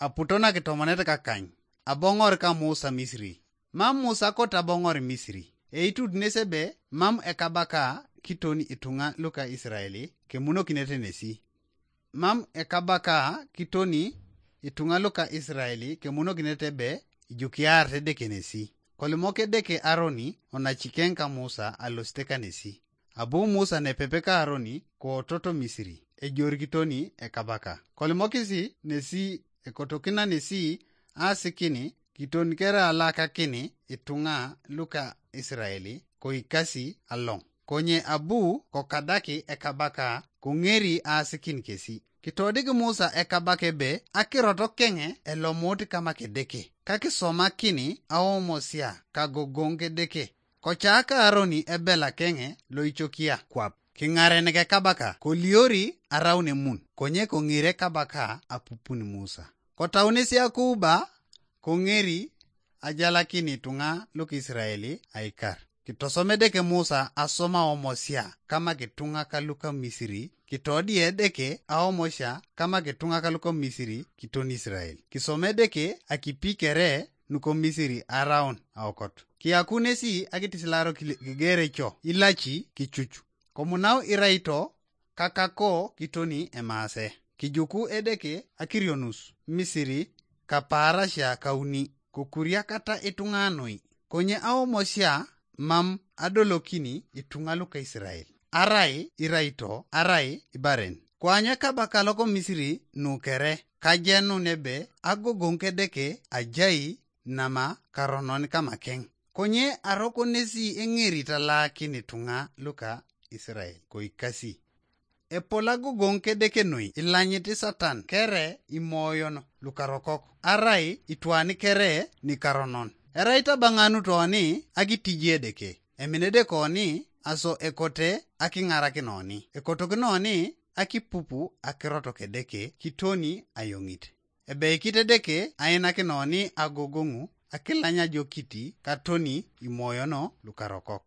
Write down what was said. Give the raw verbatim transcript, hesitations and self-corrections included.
Aputo nakitomonet kakany, aboŋor ka Musa Misiri. Mam Musa kota aboŋor Misiri. Eitut nes ebe mam ekabaka kiton ituŋa luka Isiraeli kemunokinete nesi. Mam ekabaka kiton ituŋa luka Isiraeli kemunokinete ebe ijukiaar Edeke nesi. Kolimok Edeke Aroni onacikeŋ ka Musa alosite kanesi. Abu Musa nepepe ka Aroni koototo Misiri, ejorikitoni ekabaka. Kolimokisi nesi ekotokina nesi asikini kiton kere alakakini ituŋa luka Isiraeli koikasi aloŋ. Konye abu kokadaki ekabaka koŋeri aasikin kesi. Kitodik Musa ekabaka ebe akirot keŋe elomut kama Kedeke, kakisomakini aomosia kagogoŋ Kedeke. Kocaaka Aroni ebela keŋe loicokia kwap, kiŋarenek ekabaka, koliori araun emun, konye koŋir ekabaka apupun Musa. Kotaunesi akuuba, koŋeri ajalakini ituŋa luka Isiraeli aikar. Kitosom Edeke Musa asoma omosia kama kituŋa kaluka Misiri, kitodie Edeke aomosia kama kituŋa kaluka Misiri kiton Isirael. Kisoma Edeke akipi kere nuko Misiri araun aokot. Kiyakunesi akitisilaro kile- kigereco ilaci kicucu. Komunau iraito kakako kitoni emaase. Kijuku Edeke akirionus Misiri kapaarasia kauni, kokuriakata ituŋa noi. Konye aomosia mam adolokini ituŋa luka Isirael. Arai iraito, arai ibaren. Koanyu ekabaka loko Misiri nukere, kajenun ebe agogoŋ Kedeke ajai nama karonon kamakeŋ. Konye arokonesi eŋerit alaakin ituŋa luka Isirael koikasi. Epol agogoŋ Kedeke noi ilanyit Satan kere imoyon lukarokok, arai itwani kere nikaronon. Erai tabaŋanut oni akitiji Edeke, eminede koni aso ekote akiŋarakin oni. Ekotokin oni akipupu akirot Kedeke kitoni ayoŋit. Ebeikit Edeke ainakin oni agogoŋu akilany ajokiti katoni imoyono lukarokok.